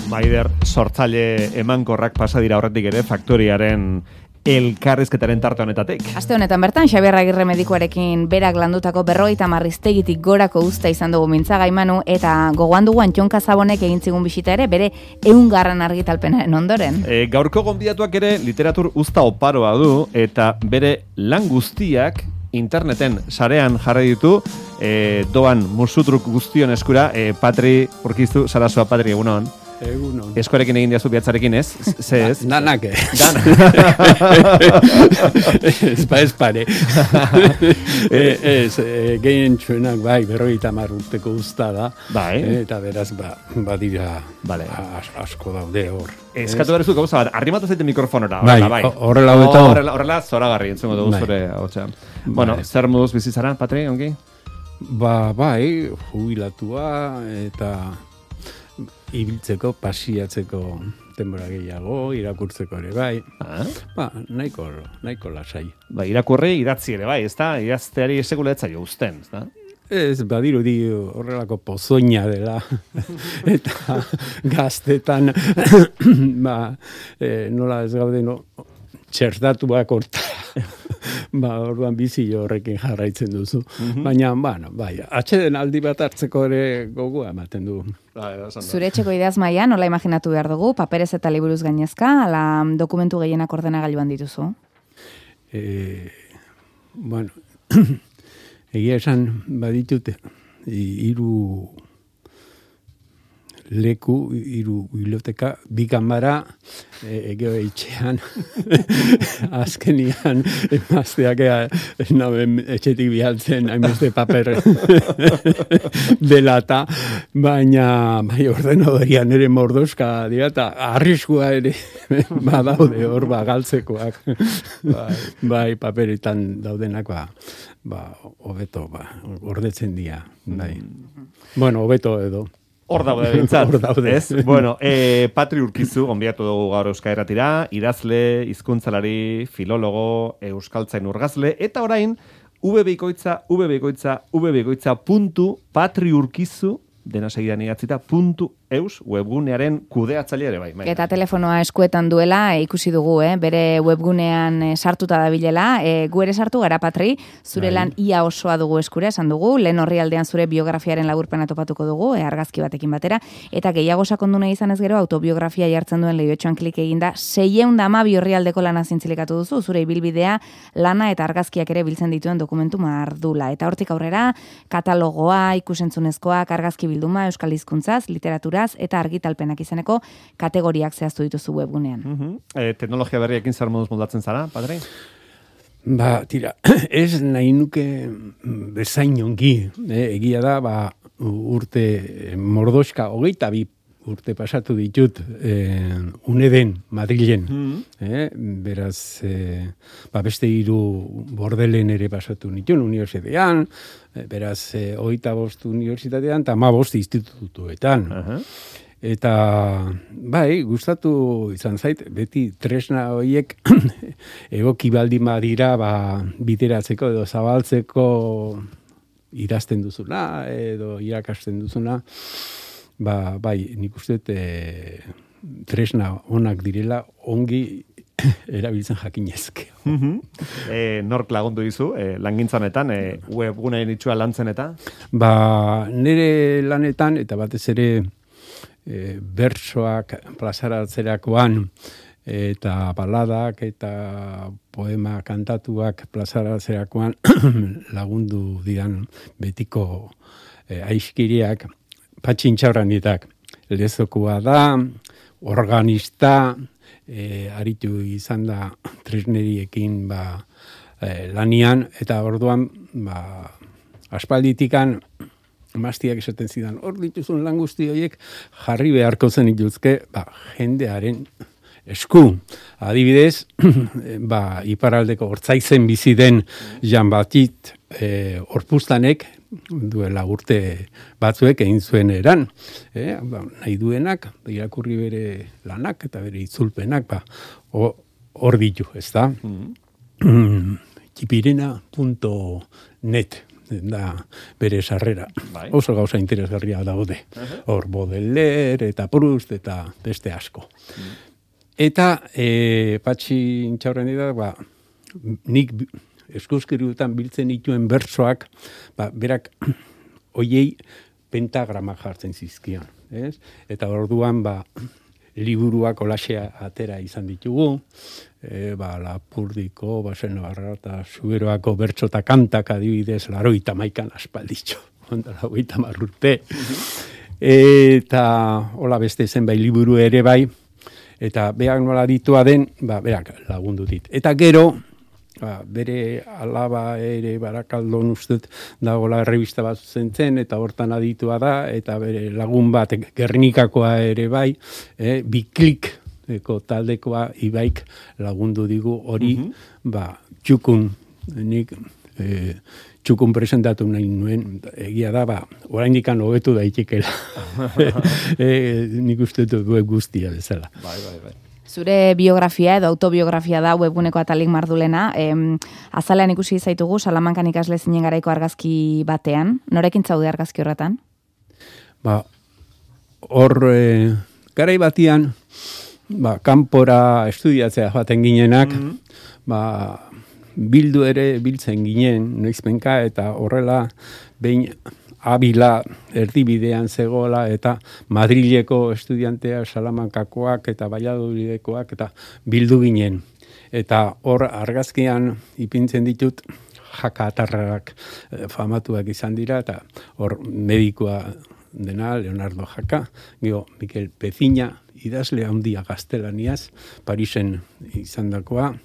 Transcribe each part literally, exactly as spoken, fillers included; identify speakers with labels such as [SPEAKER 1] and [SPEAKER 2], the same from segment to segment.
[SPEAKER 1] Maider sortzaile emankorrak pasa dira horretik ere faktoriaren elkarrizketaren tarte honetatik.
[SPEAKER 2] Aste honetan bertan, Xabier Agirre medikuarekin berak landutako berrogeita marriztegitik gorako usta izan dugu Mintzagai Manu, eta gogoan dugu Antxon Kazabonek egin zigun bisita ere, bere ehungarren argitalpenaren ondoren.
[SPEAKER 1] E, gaurko gonbidatuak ere literatur uzta oparoa du, eta bere lan guztiak interneten sarean jarri ditu, e, doan musutruk guztion eskura, e, Patri Urkizu, Sarasua, Patri, egunon.
[SPEAKER 3] Egunon.
[SPEAKER 1] Eskorekin egin diazu bihatzarekin, ez? Ze ez?
[SPEAKER 3] Danak, eh?
[SPEAKER 1] Danak.
[SPEAKER 3] Ez ba ez pare. Ez, gehien txuenak, bai, berrogeita hamar urteko usta da.
[SPEAKER 1] Bai.
[SPEAKER 3] Eta beraz, ba, badira
[SPEAKER 1] Vale.
[SPEAKER 3] as, asko daude hor.
[SPEAKER 1] Eskatu berezu gauza bat, arrimatu zaite mikrofonora.
[SPEAKER 3] Bai,
[SPEAKER 1] Horrela, bai.
[SPEAKER 3] horrela hobeto.
[SPEAKER 1] Horrela, horrela zoragarri, entzungo dugu
[SPEAKER 3] Bai.
[SPEAKER 1] zure hotxean. Bueno,
[SPEAKER 3] Bai.
[SPEAKER 1] zer moduz bizitzara, Patri, ongi?
[SPEAKER 3] Ba, bai, jubilatua eta ibiltzeko, pasiatzeko denbora gehiago, irakurtzeko ere bai.
[SPEAKER 1] Ah?
[SPEAKER 3] Ba, nahiko, nahiko lasai.
[SPEAKER 1] Ba, irakurri, idatzi ere bai, ezta? Idazteari sekula ez zaio uzten, ezta?
[SPEAKER 3] Ez, badirudi horrelako pozoina dela. Eta gaztetan, ba, e, nola ez gaude, no, txertatuak horta. Ba, orduan bizi horrekin jarraitzen duzu. Mm-hmm. Baina, bueno, bai, atxeden aldi bat hartzeko ere gogoa ematen du.
[SPEAKER 2] Zure etxeko ideaz maia, nola imaginatu behar dugu, paperez eta liburuz gainezka, ala dokumentu gehienak ordenagailuan dituzu?
[SPEAKER 3] E, bueno, egia esan baditute, hiru leku, hiru biblioteka, bi kanbara, e, egeo etxean, azkenian, emazteak naben etxetik bihaltzen, hainbeste paper delata, baina bai ordenadorian ere mordoska dira, eta arriskua ere badaude hor bagaltzekoak. Bai, bai, paperetan daudenak, ba, ba, hobeto, ba, gordetzen dira, bai. Bueno, hobeto edo.
[SPEAKER 1] Hor daude bintzat,
[SPEAKER 3] Hor daude.
[SPEAKER 1] ez? Bueno, e, Patri Urkizu, gonbidatu dugu gaur Euskal Irratira, idazle, hizkuntzalari, filologo, euskaltzain urgazle, eta orain, ubebikoitza, ubebikoitza, ubebikoitza puntu patriurkizu, dena segidan idatzita, puntu eus, webgunearen kudeatzaile ere bai. bai.
[SPEAKER 2] Eta telefonoa eskuetan duela, e, ikusi dugu, eh? Bere webgunean e, sartuta dabilela, e, gu ere sartu gara, Patri, zure lan ia osoa dugu eskura, esan dugu, lehen orrialdean zure biografiaren laburpena topatuko dugu, e, argazki batekin batera, eta gehiago sakondu nahi izan ez gero, autobiografia jartzen duen lehiotxoan klik eginda, seiehun eta hamabi orrialdeko lana zintzilikatu duzu, zure ibilbidea, lana eta argazkiak ere biltzen dituen dokumentu mardula. Eta hortik aurrera, katalogoa, ikusentzunezkoak, argazki bilduma, euskal hizkuntzaz, literatura eta argitalpenak izeneko kategoriak zehaztu dituzu webgunean.
[SPEAKER 1] Uh-huh. e, teknologia berriekin zer moduz moldatzen zara, Patri?
[SPEAKER 3] Ba, tira, ez nahi nuke bezain ongi, eh, egia da, ba, urte mordoska, hogeita bi urte pasatu ditut eh, Uneden, Madrilen. Mm-hmm. eh, beraz, eh, ba, beste hiru Bordelen ere pasatu nituen unibertsitatean, eh, beraz, eh, hogeita bost unibertsitatean, eta ma bost institutuetan. Uh-huh. Eta, bai, gustatu izan zait, beti tresna horiek egoki baldin badira, ba, bideratzeko edo zabaltzeko idazten duzuna, edo irakasten duzuna, ba, bai, nik uste e, tresna onak direla, ongi erabiltzen jakinezke.
[SPEAKER 1] Uh-huh. e, nork lagundu dizu, e, langintzanetan, e, webguneen itxua lantzen eta?
[SPEAKER 3] Ba, nire lanetan, eta batez ere, e, bertsoak plazaratzerakoan, eta baladak eta poema kantatuak plazaratzerakoan lagundu didan betiko e, aiskiriak, Patxintxauranitak, lezokoa da, organista, e, aritu izan da tresneriekin ba, e, lanian, eta orduan ba, aspalditikan maztiak esaten zidan, hor dituzun lan guzti horiek jarri beharko zen ituzke ba, jendearen esku. Adibidez, ba, iparaldeko hortzaizen bizi den Jan Batit e, Orpustanek, duela urte batzuek egin zuen eran. Eh? Ba, nahi duenak, irakurri bere lanak eta bere itzulpenak, ba, hor ditu, ez da? Mm-hmm. Kipirena punto net da bere sarrera.
[SPEAKER 1] Bai.
[SPEAKER 3] Oso gauza interesgarria daude. Hor Baudelaire eta Proust eta beste asko. Mm. Eta e, Patxi Intxaurren da, ba, nik eskuzkiriutan biltzen dituen bertsoak, ba, berak oiei pentagrama jartzen zizkion. Ez? Eta orduan, ba, liburuak olaxea atera izan ditugu, e, ba, Lapurdiko, Basen Navarra eta Zuberoako bertso eta kantak adibidez, laroita maikan aspalditxo, ondala hogeita hamar urte. Eta hola beste zenbait liburu ere bai, eta berak nola ditua den, ba, berak lagundu dit. Eta gero, ba, bere alaba ere Barakaldon ustez dagoela errebista bat zentzen, eta hortan aditua da, eta bere lagun bat Gernikakoa ere bai, eh, Biklik eko taldekoa Ibaik lagundu digu hori, mm-hmm. ba, txukun, nik eh, txukun presentatu nahi nuen, egia da, ba, oraindikan hobetu daitekela. e, nik uste dut web guztia bezala.
[SPEAKER 1] Bai, bai, bai.
[SPEAKER 2] Zure biografia edo autobiografia da webguneko atalik mardulena. Em, azalean ikusi zaitugu, Salamankan ikasle zinen garaiko argazki batean. Norekin zaude argazki horretan?
[SPEAKER 3] Ba, hor, e, garai batian, ba, kanpora estudiatzea joaten ginenak, mm-hmm. ba, bildu ere biltzen ginen, noizpenka, eta horrela, behin Abila erdibidean zegoela, eta Madrileko estudiantea Salamankakoak eta Valladolidekoak, eta bildu ginen. Eta hor argazkian ipintzen ditut, jaka atarrak famatuak izan dira, eta hor medikoa dena, Leonardo Jaka, gero Mikel Pezina, idazle handia gaztelaniaz, Parisen izandakoa,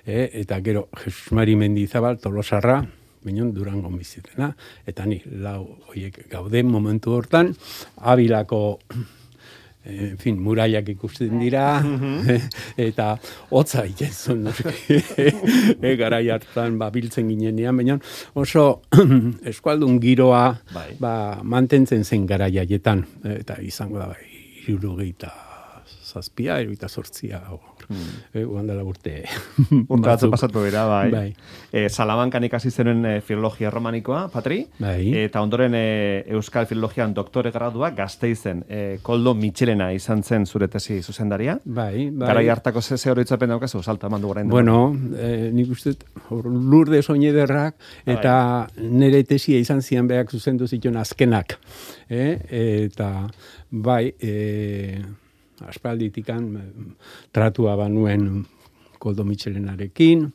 [SPEAKER 3] E, eta gero Jesus Mari Mendizabal Tolosarra, Beñon Durango bizitena, eta ni lau horiek gauden momentu hortan, Abilako en fin, muraiak ikusten dira, eta hotza egiten e, garai hartan ba, biltzen ginenean, baina oso eskualdun giroa bai. Ba, mantentzen zen garai haietan, eta izango da, hirurogeita zazpia, hirurogeita zortzia, Hmm. E, Uandela urte.
[SPEAKER 1] Urte batzu pasatu dira, bai.
[SPEAKER 3] bai.
[SPEAKER 1] E, Salamankan ikasi zenuen e, filologia romanikoa, Patri,
[SPEAKER 3] bai.
[SPEAKER 1] Eta ondoren e, Euskal Filologian doktore gradua Gasteizen. E, Koldo Mitxelena izan zen zure tesi zuzendaria.
[SPEAKER 3] Bai, bai.
[SPEAKER 1] Garai hartako ze oroitzapen daukazu, salta eman du orain.
[SPEAKER 3] Bueno, e, nik uste Lurde Soinederrak eta bai. Nire tesia izan zian berak zuzendu zituen azkenak. E, eta bai, e, aspalditikan tratua banuen Koldo Mitxelenarekin,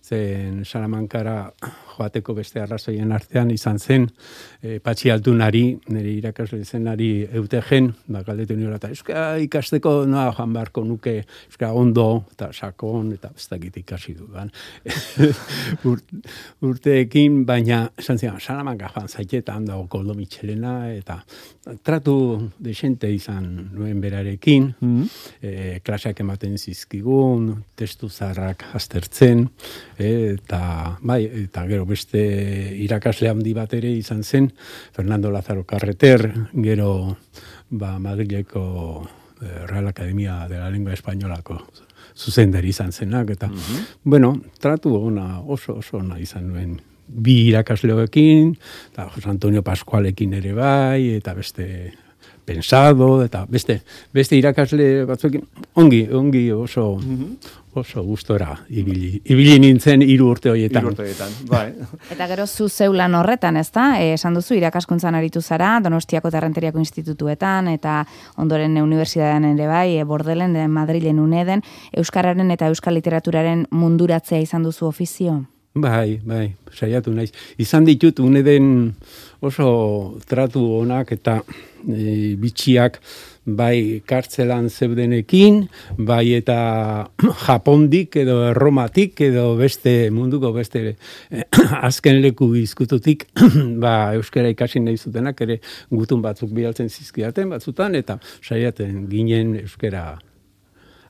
[SPEAKER 3] zen Salamankara joateko beste arrazoien artean izan zen e, Patxi Altunari, nire irakasle zenari eutegen, ba, galdetu niola, eta euska ikasteko noa joan beharko nuke, euska ondo, eta sakon, eta ez dakit ikasi dudan. Ur, urteekin, baina esan zian, Salamanka joan zaitetan dago Koldo Mitxelena, eta tratu desente izan nuen berarekin, mm-hmm. e, klaseak ematen zizkigun, testu zaharrak aztertzen, eta bai, eta gero beste irakasle handi bat ere izan zen, Fernando Lázaro Carreter, gero ba, Madrileko Real Academia de la Lengua Españolako zuzendari izan zenak, eta, mm-hmm. bueno, tratu ona, oso, oso ona izan nuen bi irakasleoekin, eta Jose Antonio Pascualekin ere bai, eta beste Pensado, eta beste, beste irakasle batzuekin, ongi, ongi oso, mm-hmm. oso gustora ibili, ibili nintzen hiru urte horietan.
[SPEAKER 1] Hiru urte horietan, bai.
[SPEAKER 2] Eta gero zu zeulan horretan, ez da? E, esan duzu, irakaskuntzan aritu zara, Donostiako eta Errenteriako institutuetan, eta ondoren unibertsitatean ere bai, e, Bordelen, de Madrilen Uneden, euskararen eta euskal literaturaren munduratzea izan duzu ofizio?
[SPEAKER 3] Bai, bai, saiatu naiz. Izan ditut Uneden oso tratu onak eta e, bitxiak bai kartzelan zeudenekin, bai eta Japondik edo Erromatik edo beste munduko beste eh, azken leku izkututik ba, euskara ikasi nahi zutenak ere gutun batzuk bidaltzen zizkidaten batzutan, eta saiaten ginen euskara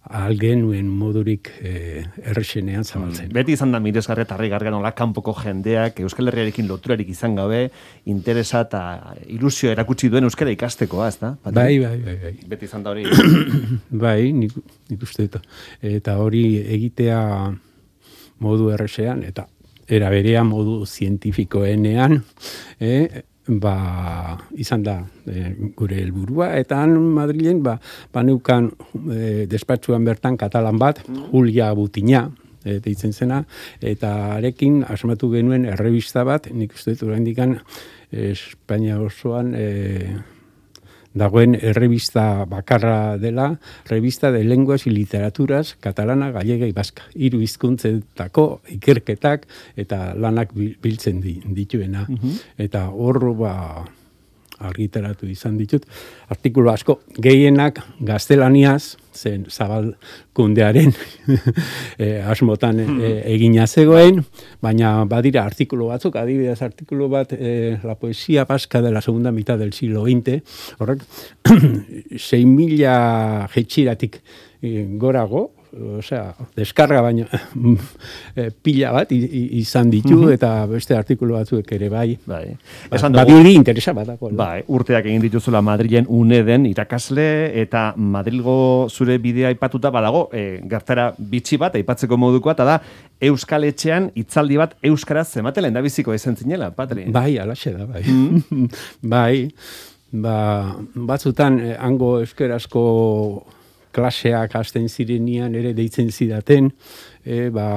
[SPEAKER 3] algenuen modurik eh, errexenean zabaltzen.
[SPEAKER 1] Beti izan da miresgarri eta harrigarria nola kanpoko jendeak Euskal Herriarekin loturarik izan gabe interesa eta ilusio erakutsi duen euskara ikastekoa, ez da?
[SPEAKER 3] Bai, bai, bai, bai.
[SPEAKER 1] Beti izan da hori.
[SPEAKER 3] Bai, nik, nik uste eta, eta hori egitea modu errexean, eta era berean modu zientifikoenean, eh, ba, izan da e, gure helburua, eta han Madrilen ba, baneukan e, despatxuan bertan katalan bat, Julia Butina, e, deitzen zena, eta arekin asmatu genuen errebista bat, nik uste dut oraindikan Espainia osoan e, dagoen errebista bakarra dela, revista de lenguas y literaturas catalana, gallega y vasca. Hiru hizkuntzetako ikerketak eta lanak biltzen dituena. Uh-huh. Eta hor ba argitaratu izan ditut. Artikulu asko gehienak gaztelaniaz, zen zabalkundearen e, asmotan e, egina zegoen, baina badira artikulu batzuk, adibidez artikulu bat, e, la poesía vasca de la segunda mitad del siglo veinte, horrek, sei mila jetxiratik e, gorago, osea, deskarga baina e, pila bat izan ditu, uh-huh. eta beste artikulu batzuek ere bai.
[SPEAKER 1] Bai.
[SPEAKER 3] Ba, badiri interesa batako.
[SPEAKER 1] Bai, urteak egin dituzula Madrilen UNEDen irakasle, eta Madrilgo zure bidea aipatuta badago, e, gertara bitxi bat, aipatzeko modukoa, eta da, Euskal Etxean hitzaldi bat euskaraz zematela endabiziko ezen zinela, Patri?
[SPEAKER 3] Bai, alaxe da, bai. Mm. bai, ba, batzutan, eh, hango euskarazko klaseak hasten zirenian ere deitzen zidaten, e, ba,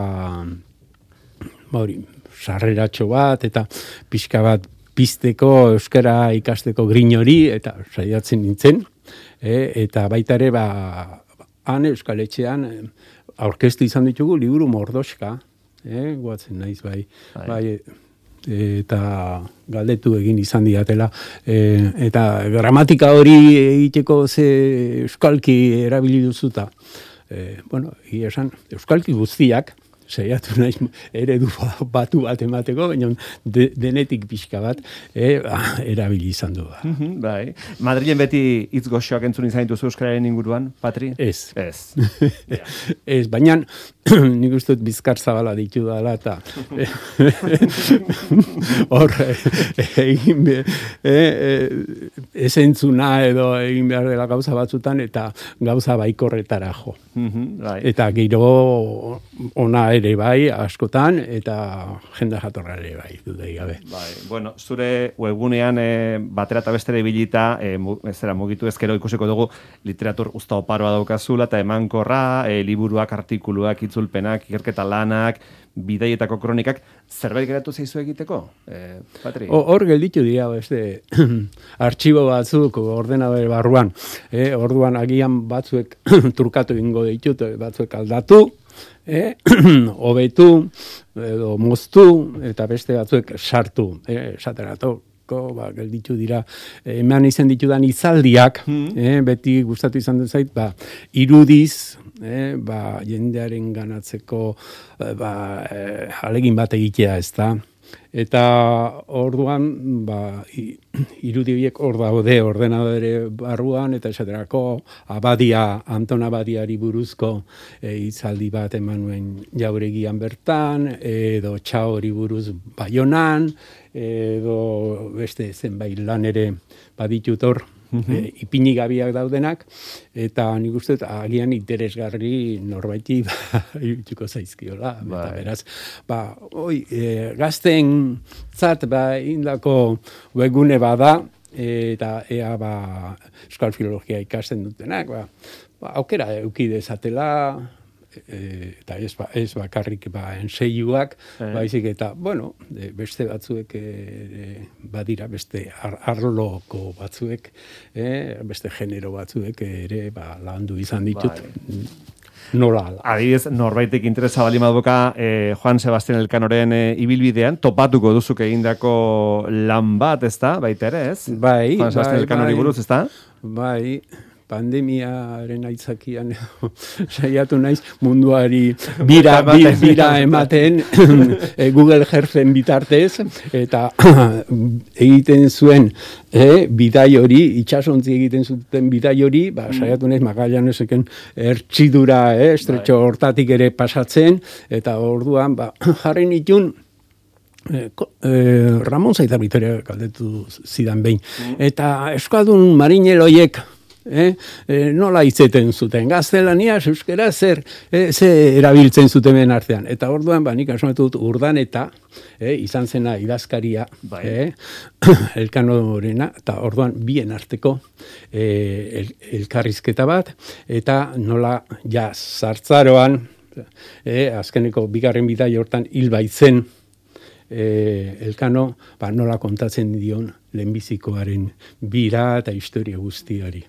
[SPEAKER 3] ba hori, sarreratxo bat, eta pixka bat pizteko euskara ikasteko grin hori, eta saiatzen nintzen, e, eta baita ere, ba, han Euskal Etxean aurkeztu izan ditugu liburu mordoska, e, guatzen naiz bai, bai, bai eta galdetu egin izan diatela, e, eta gramatika hori egiteko ze euskalki erabili duzuta. E, bueno, egia esan, euskalki guztiak, saiatu naiz eredu batu bat emateko, baina de, denetik pixka bat e, erabili izan du.
[SPEAKER 1] Mm-hmm, bai. Madrilen beti hitz goxoak entzun izan dituzu euskararen inguruan, Patri?
[SPEAKER 3] Ez.
[SPEAKER 1] Ez.
[SPEAKER 3] Ez, baina nik uste dut bizkar zabala ditu dala, eta hor egin be, e, e, esentzuna edo egin behar dela gauza batzutan, eta gauza baikorretara jo.
[SPEAKER 1] Mm-hmm, bai.
[SPEAKER 3] Eta gero ona ere bai, askotan, eta jende jatorra ere bai, dudei gabe.
[SPEAKER 1] Bai, bueno, zure webgunean e, batera eta bestere bilita, e, mu, zera, mugitu ezkero ikusiko dugu literatur usta oparoa daukazula, eta emankorra, e, liburuak, artikuluak, itzulpenak, ikerketa lanak, bidaietako kronikak, zerbait geratu zaizu egiteko, e, Patri?
[SPEAKER 3] Hor gelditu dira, beste, artxibo batzuk ordenadore barruan, e, orduan agian batzuek turkatu ingo ditut, batzuek aldatu, eh, hobetu, edo moztu, eta beste batzuek sartu, eh, esateratoko, ba, gelditu dira, eman izan ditudan izaldiak, mm. eh, beti gustatu izan dut zait, ba, irudiz, eh, ba, jendearen ganatzeko, ba, eh, alegin bat egitea ez da, eta orduan, ba, irudi horiek hor daude ordenadore barruan, eta esaterako Abadia, Anton Abadiari buruzko e, hitzaldi bat eman nuen Jauregian bertan, edo Txaori buruz Baionan, edo beste zenbait lan ere baditut hor, mm-hmm. e, ipini gabiak daudenak, eta nik uste agian interesgarri norbaiti ba, irutiko zaizkiola. Ba. Eta beraz, ba, oi, e, gazten zat, ba, indako webgune bada, eta ea ba, euskal filologia ikasten dutenak, ba, ba, aukera euki dezatela, e, eta ez, ba, ez bakarrik ba, enseiuak, eh. baizik eta, bueno, de, beste batzuek e, badira, beste ar, arloko batzuek, e, beste genero batzuek ere ba, landu izan ditut. Bai. Nola ala.
[SPEAKER 1] Adibidez, norbaitek interesa bali maduka eh, Juan Sebastián Elkanoren eh, ibilbidean, topatuko duzuk egindako lan bat, ezta? Baita ere, ez?
[SPEAKER 3] Bai,
[SPEAKER 1] Juan Sebastián
[SPEAKER 3] bai,
[SPEAKER 1] Elkanori buruz, ezta?
[SPEAKER 3] Bai, pandemiaren aitzakian saiatu naiz munduari bira, bira, bira ematen Google Earthen bitartez, eta egiten zuen e, bidai hori, itxasontzi egiten zuten bidai hori, ba, saiatu naiz Magallaneseken ertxidura, e, estretxo hortatik ere pasatzen, eta orduan, ba, jarri nitun, Eh, eh, Ramon Zaita Vitoria galdetu zidan behin. Mm. Eta euskaldun marineloiek eh? E, nola itzeten zuten, gaztelaniaz, euskera, zer, e, ze erabiltzen zuten artean. Eta orduan, ba, nik asmatu dut Urdaneta, eh, izan zena idazkaria,
[SPEAKER 1] bai.
[SPEAKER 3] eh, Elkanorena, eta orduan bien arteko eh, el, elkarrizketa bat, eta nola ja zartzaroan, eh, azkeneko bigarren bidai hortan hil baitzen, eh, Elkano, ba, nola kontatzen dion lehenbizikoaren bira eta historia guztiari.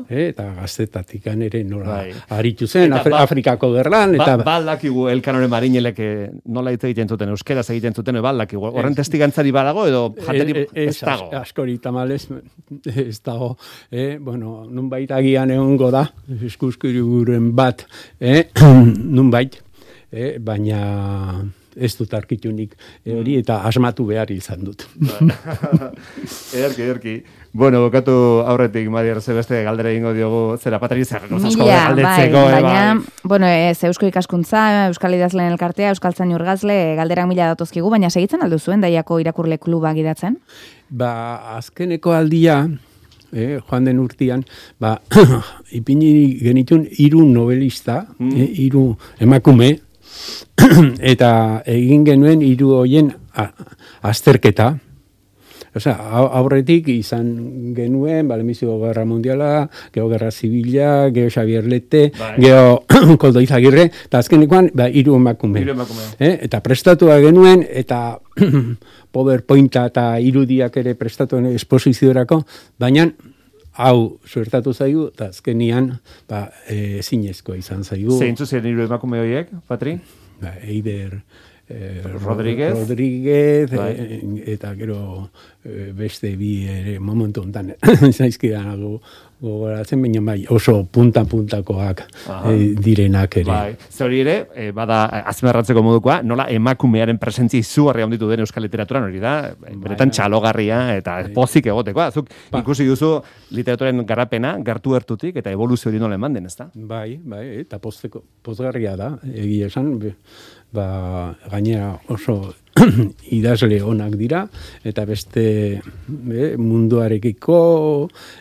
[SPEAKER 3] Eh, eta gaztetatik ere nola bai. Aritu zen, Afri, ba, Afrikako gerlan. Eta...
[SPEAKER 1] Ba, baldakigu Elkanoren marinelek nola hitz egiten zuten, euskeraz egiten zuten, baldakigu. Horren testigantzari badago edo jateri ez dago?
[SPEAKER 3] Askori tamalez ez dago. Eh, bueno, nunbait agian egongo da, eskuskuriburen bat, eh, nunbait, eh, baina... ez dut arkitunik hori eta asmatu behar izan dut.
[SPEAKER 1] Ederki, ederki. Bueno, bokatu aurretik, Madiar, ze beste galdera egingo diogu, zera Patri zer, asko galdetzeko.
[SPEAKER 2] Bai, baina, bueno, ez Eusko Ikaskuntza, Euskal Idazleen Elkartea, Euskaltzain Urgazle, galderak mila datozkigu, baina segitzen aldu zuen Daiako irakurle kluba gidatzen?
[SPEAKER 3] Ba, azkeneko aldia, eh, joan den urtian, ba, ipini genitun hiru novelista, mm. eh, hiru emakume, eta egin genuen hiru hoien azterketa. Osea, aurretik izan genuen, Balemiziko Gerra Mundiala, Geo Gerra Zibila, Geo Xabier Lete, bai. Geo Koldo Izagirre, eta azkenekoan, ba, hiru emakume. Eh? Eta prestatua genuen, eta PowerPointa eta irudiak ere prestatuen esposiziorako, baina hau suertatu zaigu, eta azkenian ba, e, zinezkoa izan zaigu.
[SPEAKER 1] Zeintzu zen hiru emakume horiek, Patri?
[SPEAKER 3] Ba, Eider eh,
[SPEAKER 1] Rodríguez,
[SPEAKER 3] Rodríguez eh, eta gero eh, beste bi ere momentu honetan zaizkidan gogoratzen, baina bai oso punta-puntakoak eh, direnak ere.
[SPEAKER 1] Bai. Zori ere, eh, bada azmerratzeko modukoa, nola emakumearen presentzia izugarri handitu den euskal literaturan hori da, benetan txalogarria eta bai. Pozik egotekoa. Zuk ba. Ikusi duzu literaturen garapena, gertu gertutik eta evoluzio hori nola eman den, ezta?
[SPEAKER 3] Bai, bai, eta pozteko, pozgarria da, egia esan, ba, gainera oso idazle onak dira, eta beste be, munduarekiko,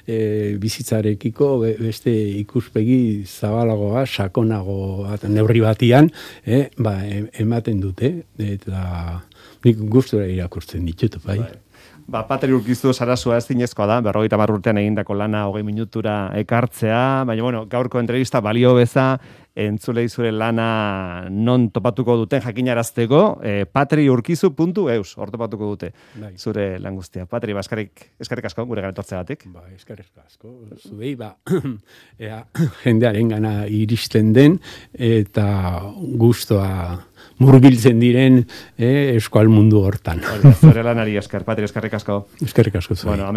[SPEAKER 3] e, bizitzarekiko, be, beste ikuspegi zabalagoa, sakonagoa, neurri batian, e, ba, ematen dute, eta nik gustura irakurtzen ditut, bai.
[SPEAKER 1] Bai. Ba, Patri Urkizu Sarasua ez zinezkoa da, berrogeita hamar urtean egindako lana hogei minutura ekartzea, baina, bueno, gaurko entrevista balio beza, entzulei zure lana non topatuko duten jakinarazteko, eh, patriurkizu puntu eus, hor topatuko dute bai. Zure lan guztia. Patri, ba, eskerrik, eskerrik asko, gure garetortzegatik.
[SPEAKER 3] Ba, eskerrik asko, zuei, ba, ea, jendearen gana iristen den, eta gustoa murgiltzen diren eh, eskual mundu hortan.
[SPEAKER 1] Zure lanari esker, Patri, eskerrik asko.
[SPEAKER 3] Eskerrik asko zuei.
[SPEAKER 1] Bueno,